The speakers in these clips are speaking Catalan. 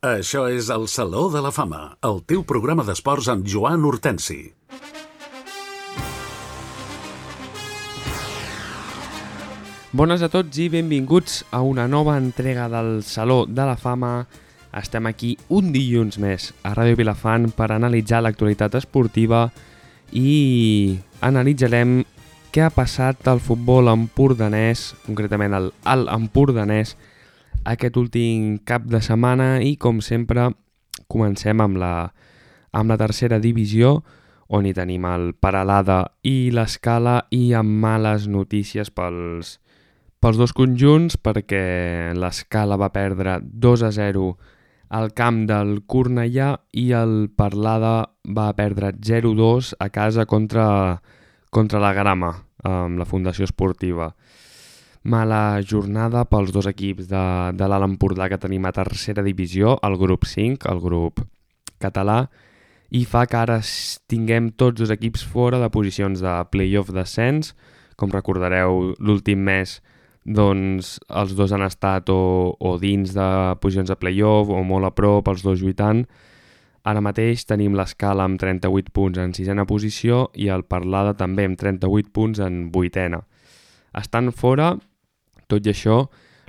Això és el Saló de la Fama, el teu programa d'esports amb Joan Hortensi. Bones a tots i benvinguts a una nova entrega del Saló de la Fama. Estem aquí un dilluns més a Ràdio Vilafant per analitzar l'actualitat esportiva i analitzarem què ha passat al futbol empordanès, concretament al Alt Empordanès, aquest últim cap de setmana i, com sempre, comencem amb la tercera divisió, on hi tenim el Peralada i l'Escala i amb males notícies pels dos conjunts, perquè l'Escala va perdre 2-0 al camp del Cornellà i el Peralada va perdre 0-2 a casa contra la Grama, amb la Fundació Esportiva. Mala jornada pels dos equips de l'Alt Empordà que tenim a tercera divisió, el grup 5, el grup català, i fa que ara tinguem tots dos equips fora de posicions de play-off descens. Com recordareu, l'últim mes doncs, els dos han estat o dins de posicions de play-off o molt a prop, els dos lluitant. Ara mateix tenim l'Escala amb 38 punts en sisena posició i el Peralada també amb 38 punts en vuitena. Estan fora. Tot i això,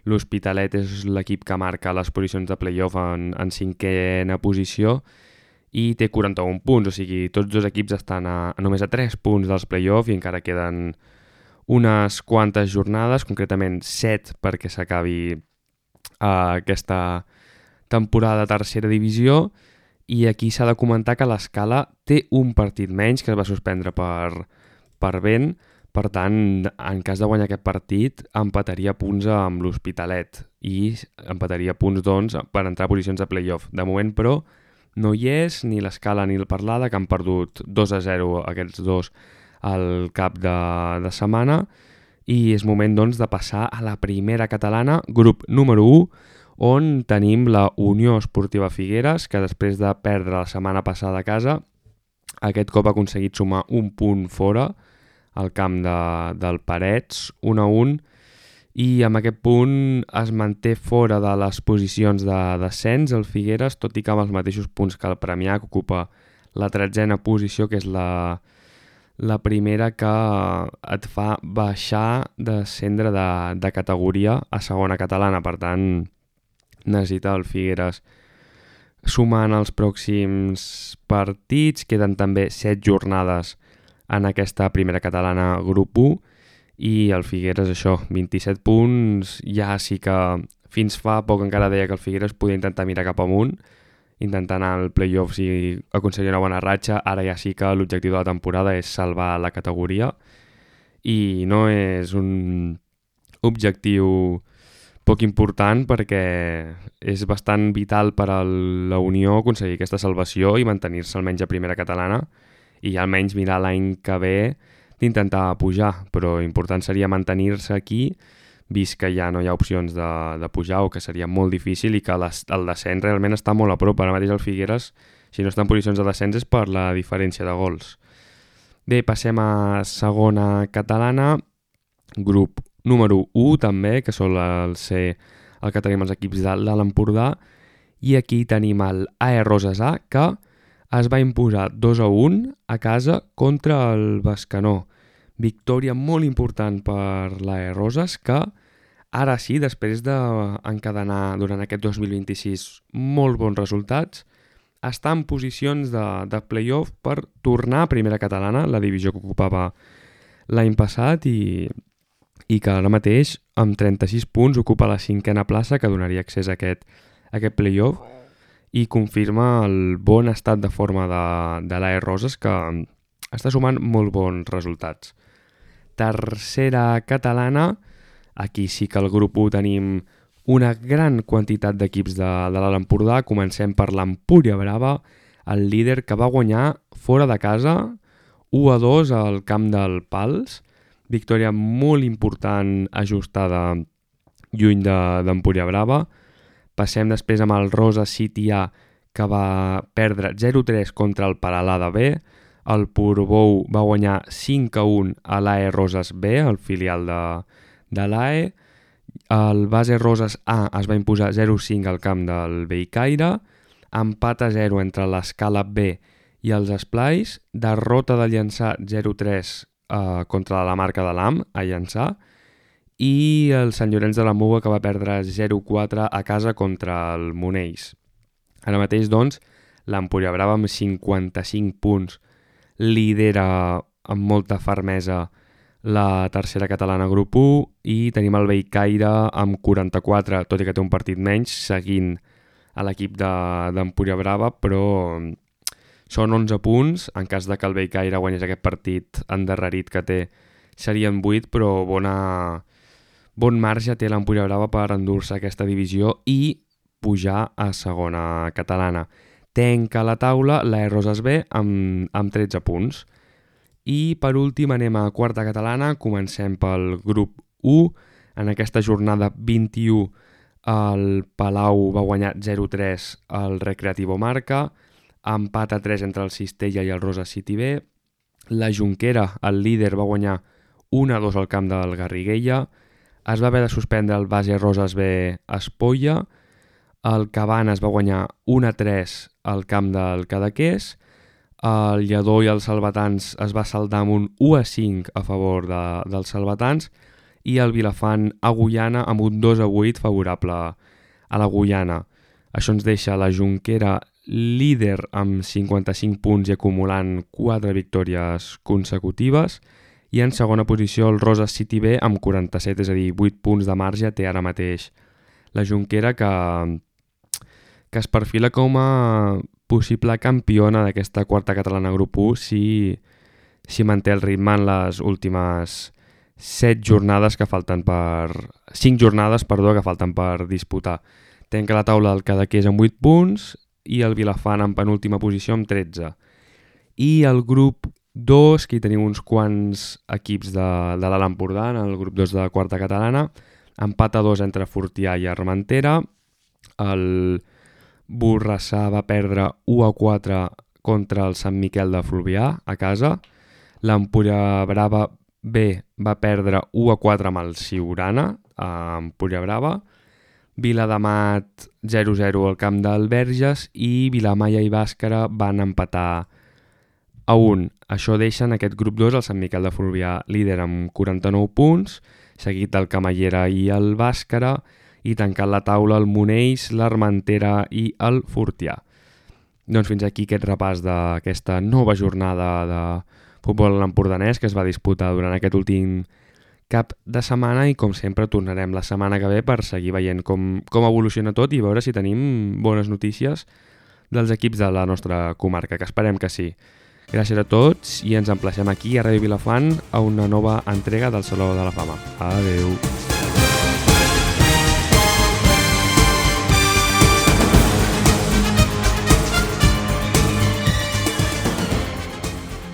l'Hospitalet és l'equip que marca les posicions de play-off en cinquena posició i té 41 punts, o sigui, tots dos equips estan només a 3 punts dels play-off i encara queden unes quantes jornades, concretament 7 perquè s'acabi aquesta temporada de tercera divisió, i aquí s'ha de comentar que l'Escala té un partit menys que es va suspendre per vent. Per tant, en cas de guanyar aquest partit, empataria punts amb l'Hospitalet i empataria punts, doncs, per entrar a posicions de play-off. De moment, però, no hi és ni l'Escala ni el Peralada, que han perdut 2-0 aquests dos al cap de setmana, i és moment, doncs, de passar a la primera catalana, grup número 1, on tenim la Unió Esportiva Figueres, que després de perdre la setmana passada a casa, aquest cop ha aconseguit sumar un punt fora, al camp del Parets, 1-1, i amb aquest punt es manté fora de les posicions de descens el Figueres, tot i que amb els mateixos punts que el Premià, que ocupa la 13a posició, que és la primera que et fa baixar, descendre de categoria a segona catalana. Per tant, necessita el Figueres sumar en els pròxims partits. Queden també 7 jornades en aquesta primera catalana grup 1 i el Figueres, això, 27 punts. Ja sí que fins fa poc encara deia que el Figueres podia intentar mirar cap amunt, intentar anar al play-off si aconseguia una bona ratxa. Ara ja sí que l'objectiu de la temporada és salvar la categoria i no és un objectiu poc important, perquè és bastant vital per a la Unió aconseguir aquesta salvació i mantenir-se almenys a primera catalana i almenys mirar l'any que ve d'intentar pujar, però important seria mantenir-se aquí, vist que ja no hi ha opcions de pujar o que seria molt difícil i que el descens realment està molt a prop. Ara mateix el Figueres, si no està en posicions de descens, és per la diferència de gols. Bé, passem a segona catalana, grup número 1 també, que sol ser el que tenim els equips de l'Alt Empordà, i aquí tenim el AE Roses A, que es va imposar 2-1 a casa contra el Bescanó. Victòria molt important per l'AE Roses, que ara sí, després d'encadenar durant aquest 2026 molt bons resultats, està en posicions de play-off per tornar a primera catalana, la divisió que ocupava l'any passat, i que ara mateix, amb 36 punts, ocupa la 5a plaça, que donaria accés a aquest play-off, i confirma el bon estat de forma de l'AE Roses, que està sumant molt bons resultats. Tercera catalana, aquí sí que al grup 1 tenim una gran quantitat d'equips de l'Alt Empordà. Comencem per l'Empúria Brava, el líder, que va guanyar fora de casa 1-2 al camp del Pals. Victòria molt important, ajustada lluny d'Empúria Brava. Passem després amb el Rosa City A, que va perdre 0-3 contra el Peralada B. El Portbou va guanyar 5-1 a l'AE Roses B, el filial de l'AE. El Base Roses A es va imposar 0-5 al camp del Bellcaire, empat a 0 entre l'Escala B i els Esplais, derrota de Llançà 0-3 contra la marca de l'AM a Llançà, i el Sant Llorenç de la Muga, que va perdre 0-4 a casa contra el Monells. Ara mateix, doncs, l'Empúria Brava amb 55 punts lidera amb molta fermesa la tercera catalana grup 1 i tenim el Bellcaire amb 44, tot i que té un partit menys, seguint a l'equip d'Empúria Brava, però són 11 punts. En cas de que el Bellcaire guanyés aquest partit endarrerit que té, serien 8, però bon marge té l'Empúria Brava per endur-se aquesta divisió i pujar a segona catalana. Tenca la taula la Roses B amb 13 punts. I per últim anem a quarta catalana, comencem pel grup 1. En aquesta jornada 21 el Palau va guanyar 0-3 al Recreativo Marca, empat a 3 entre el Cistella i el Roses City B. La Jonquera, el líder, va guanyar 1-2 al camp del Garriguella. Es va haver de suspendre el Base Roses B Espolla. El Cabanes va guanyar 1-3 al camp del Cadaqués. El Lledó i els Salvatans es va saldar amb un 1-5 a favor dels Salvatans i el Vilafant a Guyana amb un 2-8 favorable a la Guyana. Això ens deixa la Jonquera líder amb 55 punts i acumulant 4 victòries consecutives, i en segona posició el Roses City B amb 47, és a dir, 8 punts de marge té ara mateix la Jonquera, que es perfila com a possible campiona d'aquesta quarta catalana grup 1 si manté el ritme en les últimes 5 jornades que falten per disputar. Tenca la taula del Cadaqués amb 8 punts i el Vilafant en penúltima posició amb 13. I el grup 2, que hi tenim uns quants equips de l'Alt Empordà, en el grup 2 de la quarta catalana, empat a 2 entre Fortià i Armentera. El Borrassà va perdre 1-4 contra el Sant Miquel de Fluvià a casa. L'Empúria Brava B va perdre 1-4 amb el Siurana a Empúria Brava. Viladamat 0-0 al camp del Verges i Vilamalla i Bàscara van empatar a 1. Això deixa en aquest grup 2 el Sant Miquel de Fluvià líder amb 49 punts, seguit del Camallera i el Bàscara, i tancant la taula el Monells, l'Armentera i el Fortià. Doncs fins aquí aquest repàs d'aquesta nova jornada de futbol empordanès que es va disputar durant aquest últim cap de setmana, i com sempre tornarem la setmana que ve per seguir veient com evoluciona tot i veure si tenim bones notícies dels equips de la nostra comarca, que esperem que sí. Gràcies a tots i ens emplacem aquí a Ràdio Vilafant a una nova entrega del Saló de la Fama. Adeu!